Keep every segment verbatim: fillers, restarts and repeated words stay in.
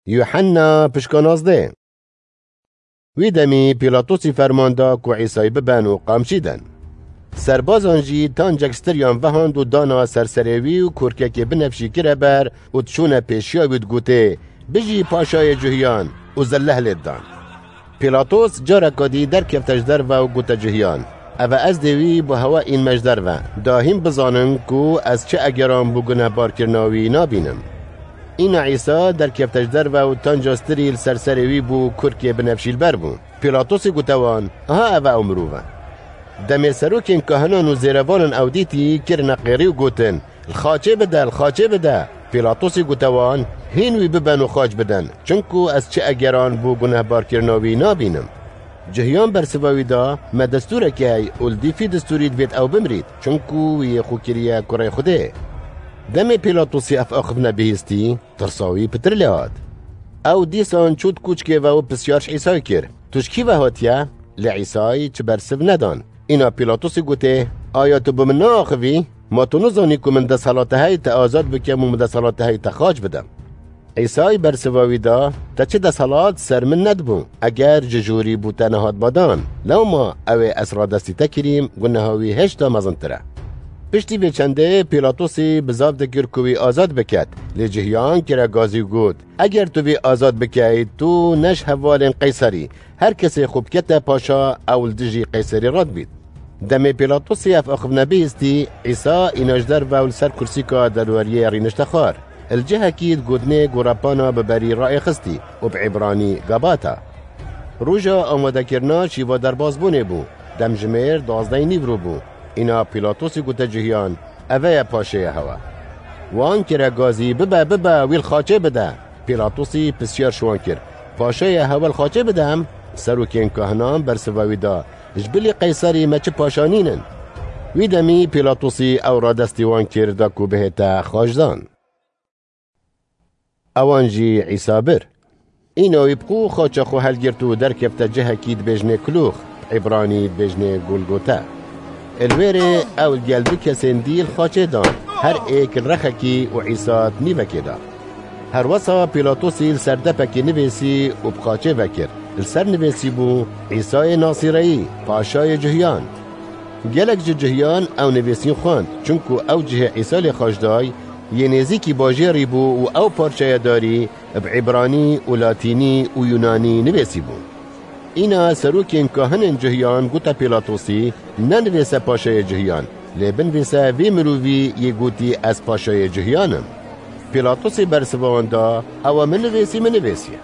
Yuhanna pişka nazdeh. Wî demî Pîlatosî ferman da ku Îsayî biben û qamçî den. Serbazan jî tancek stiriyan vehand û dana ser serê wî û kurkekê binefşî kire ber û diçûne pêşiya wî digotê, "Bijî paşayê Cuhiyan!" û zilleh lê didan. Pîlatos careka dî derkefte ji derve û gote Cuhiyan, "Eve ez dê wî bo hewe înme ji derve, da hîn bizanin ku ez çi egeran bo gunehbarkirina wî nabînim." Îna Îsa derkefte ji derve û tanca stirî li ser serê wî bû, kurkê binefşî li ber bû. Pîlatosî gote wan, "Aha eve ew mirov e." Demê serokên kahinan û zêrevanan ew dîtî, kirine qêrî û gotin, "Li xaçê bide, li xaçê bide!" Pîlatosî gote wan, "Hîn wî biben û xaç bidin, çinku ez çi egeran bo gunehbarkirina wî nabînim." Cihiyan bersiva wî da, "Me destûrek heye û li dîfî destûrî divêt ew bimirît, çinku wî yê xwe kiriye kurê Xwedê." Demê Pîlatosî ev axiftina bihîstî, tirsa wî pitir lê hat. Ew dîsan çû di kûçkê ve û pisyar ji Îsayê kir, "Tu ji kî ve hatiye?" Lê Îsayî çi bersiv nedan. Îna Pîlatosî gotê, "Aya tu bi min naaxivî? Ma tu nizanî ku min desthilata heye te azad bikim û min desthilata heye te xaç bidim?" Îsayî bersiva wî da, "Te çi desthilat ser min nedibû, eger ji jorî bo te nehatba dan. Lewma ew ê ez radestî te kirîm, guneha wî hêşta mezintir e." Piştî vê çendê Pîlatosî bizav dikir ku wî azad biket, lê Cihiyan kire gazî û got, "Eger tu vî azad bikeyî, tu ne ji hevalên Qeyserî, her kesê xwe bikete paşa, ew li dijî Qeyserî radibît." Demê Pîlatosî ev axiftina bihîstî, Îsa îna ji derve û li ser kursîka derweriyê rînişte xwar. Li cihekî di gotinê gorepana bi berî raêxistî û bi îbranî Gabata. Roja amadekirina şîva derbazbûnê bû. Demjimêr duwazdehê nîvro bû. Îna Pîlatosî gote Cihiyan, "Eve ye paşêya hewe." Wan kire gazî, "Bibe, bibe, wî li xaçê bide." Pîlatosî pisyar ji wan kir, "Paşayê hewe li xaçê bidem?" Serokên kahinan bersiva wî da, "Ji bilî Qeyserî me çi paşa nînin?" Wî demî Pîlatosî ew radestî wan kir da ku bihête xaçdan. Ewan jî Îsa bir. Îna wî bi xwe xaça xwe helgirt û derkefte cihekî dibêjinê Kulûx, bi îbranî dibêjinê Golgota. Li wêrê ew li gel du kesên dî li xaçê dan, her êk li rexekî û Îsa di nîvekê de. Herwesa Pîlatosî li ser depekê nivêsî û bi xaçê vekir. Li ser nivêsî bû, "Îsayê Nasîreyî, paşayê Cuhiyan." Gelek ji Cuhiyan ew nivêsîn xwend, çunku ew cihê Îsa lê xaç day, yê nêzîkî bajêrî bû û ew parçeya darî bi îbranî û latînî û yûnanî nivêsî bû. Îna serokên kahinên Cuhiyan gote Pîlatosî, "Nenivêse paşayê Cuhiyan, lê binivêse vê mirovî yê gotî, 'Ez paşayê Cuhiyan im.'" Pîlatosî bersiva wan da, "Ewa min nivêsî, min nivêsiye."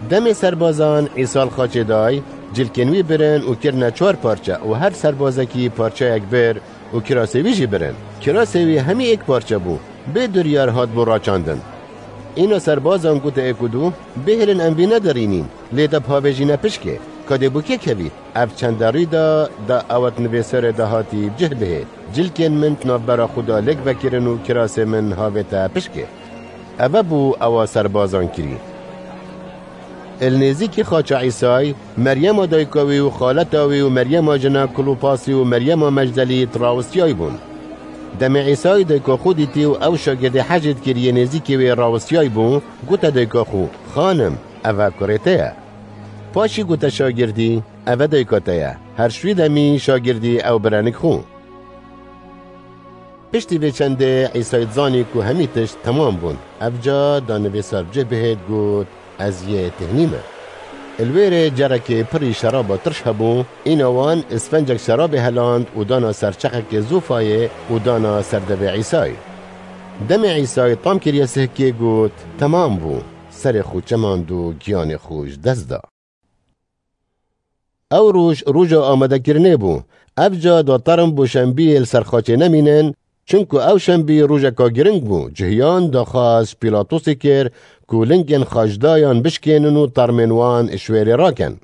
Demê serbazan Îsa li xaçê day, cilkên wî birin û kirine çar parçe û her serbazekî parçeyek bir û kirasê wî jî birin. Kirasê wî hemî êk parçe bû, bê duryar hatbû raçandin. Îna serbazan gote êk û du, "Bihêlin em vî nedirînîn, lê de bi havê jî ne pişkê, ka dê bo kê kevît?" Ev çende rî da, da ewa di nivêserê de hatî bi cih bihêt, "Cilkên min di navbera xwe de lêk vekirin û kirasê min havête pişkê." Eve bû ewa serbazan kirî. Li nêzîkî xaça Îsay, Meryema dayika wî û xaleta wî û Meryema jina Klopasî û Meryema Mecdelî di rawestiyay bûn. Demê Îsay dayika xwe dîtî û ew şagirdê hecê dikir yê nêzîkî wê rawestiyay bû, gote dayika xwe, "Xanim, eve kurê te ye." Paşî gote şagirdî, "Eve dayika te ye." Her ji wî demî şagirdî ew bire nik xwe. Piştî vê çendê Îsay dizanî ku hemî tişt temam bûn. Evca da nivîsar bi cih bihêt, got, "Ez yê têhnî me." Li wê rê cerekê pirî şeraba tirş hebû, îna wan isfencek şerabê heland û dana ser çeqekê zofayê û dana ser devê Îsay. Demê Îsay tam kiriye sihkê, got, "Temam bû." Serê xwe çemand û giyanê xwe ji dest da. Ew roj, roja amadekirinê bû. Evca da term bo şembiyê li ser xaçê nemînin, çunku ew şembî rojeka giring bû. Cihiyan daxwaz ji Pîlatosê kir ku lingên xaçdayan bişkênin û termên wan ji wêrê rakin.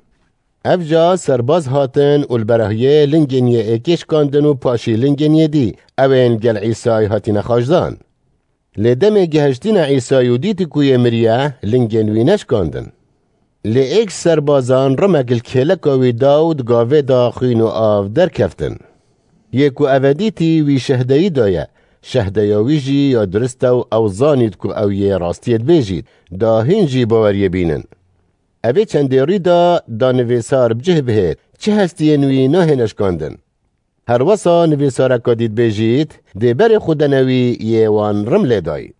Evca serbaz hatin û li berahiyê lingên yê êkê şikandin û paşî lingên yê dî, ewên gel Îsay hatine xaçdan. Lê demê gihiştîne Îsay û dîtî ku yê miriye, lingên wî neşkandin. Lê êk serbazan rimek li kêleka wî da û di gavê de xwîn û av derkeftin. Yê ku eve dîtî, wî şehdeyî daye, Şehdeya wî jî ya durist e û ew zanît ku ew yê rastiyê dibêjît, da hîn jî baweriyê bînin. Evê çendê rî da, da nivîsar bi cih bihêt, çi hestiyên wî nahêne şikandin. Her wesa nivîsareka dî dibêjît, dê berê xwe dene wî yê wan rim lê dayî.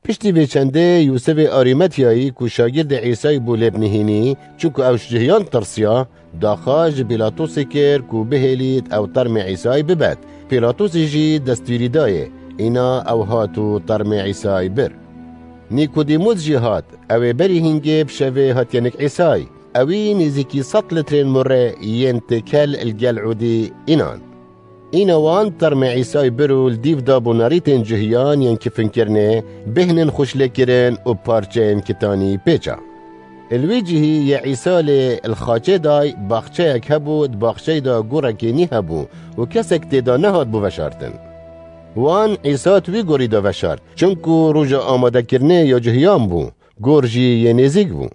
Piştî vê çendê Yûsifê Arîmetiyayî ku şagirtê Îsayî bû lê binihînî, çunku ew ji cihiyan tirsiya, daxwaz ji Pîlatosê kir ku bihêlît ew termê Îsayî bibet. Pîlatosê jî destwîrî dayê. Îna ew hat û termê Îsayî bir. Nîkodîmûs jî hat, ew ê berî hîngê bi şevê hatiye nik Îsayî. Ewî nêzîkî sed litrên murê yên têkel li gel ûdî înan. Îna wan termê Îsayî bir û li dîv da bo nerîtên cihiyan yên kifinkirinê, bêhnên xweşlêkirin û parçeyên kitanî pêça. Li wî cihî yê Îsa lê li xaçê day baxçeyek hebû, di baxçeyê de gorekê nî hebû û kesek tê de nehat bû veşartin. Wan Îsa di wî gorî de veşart, çunku roja amadekirinê ya cihiyan bû, gor jî yê nêzîk bû.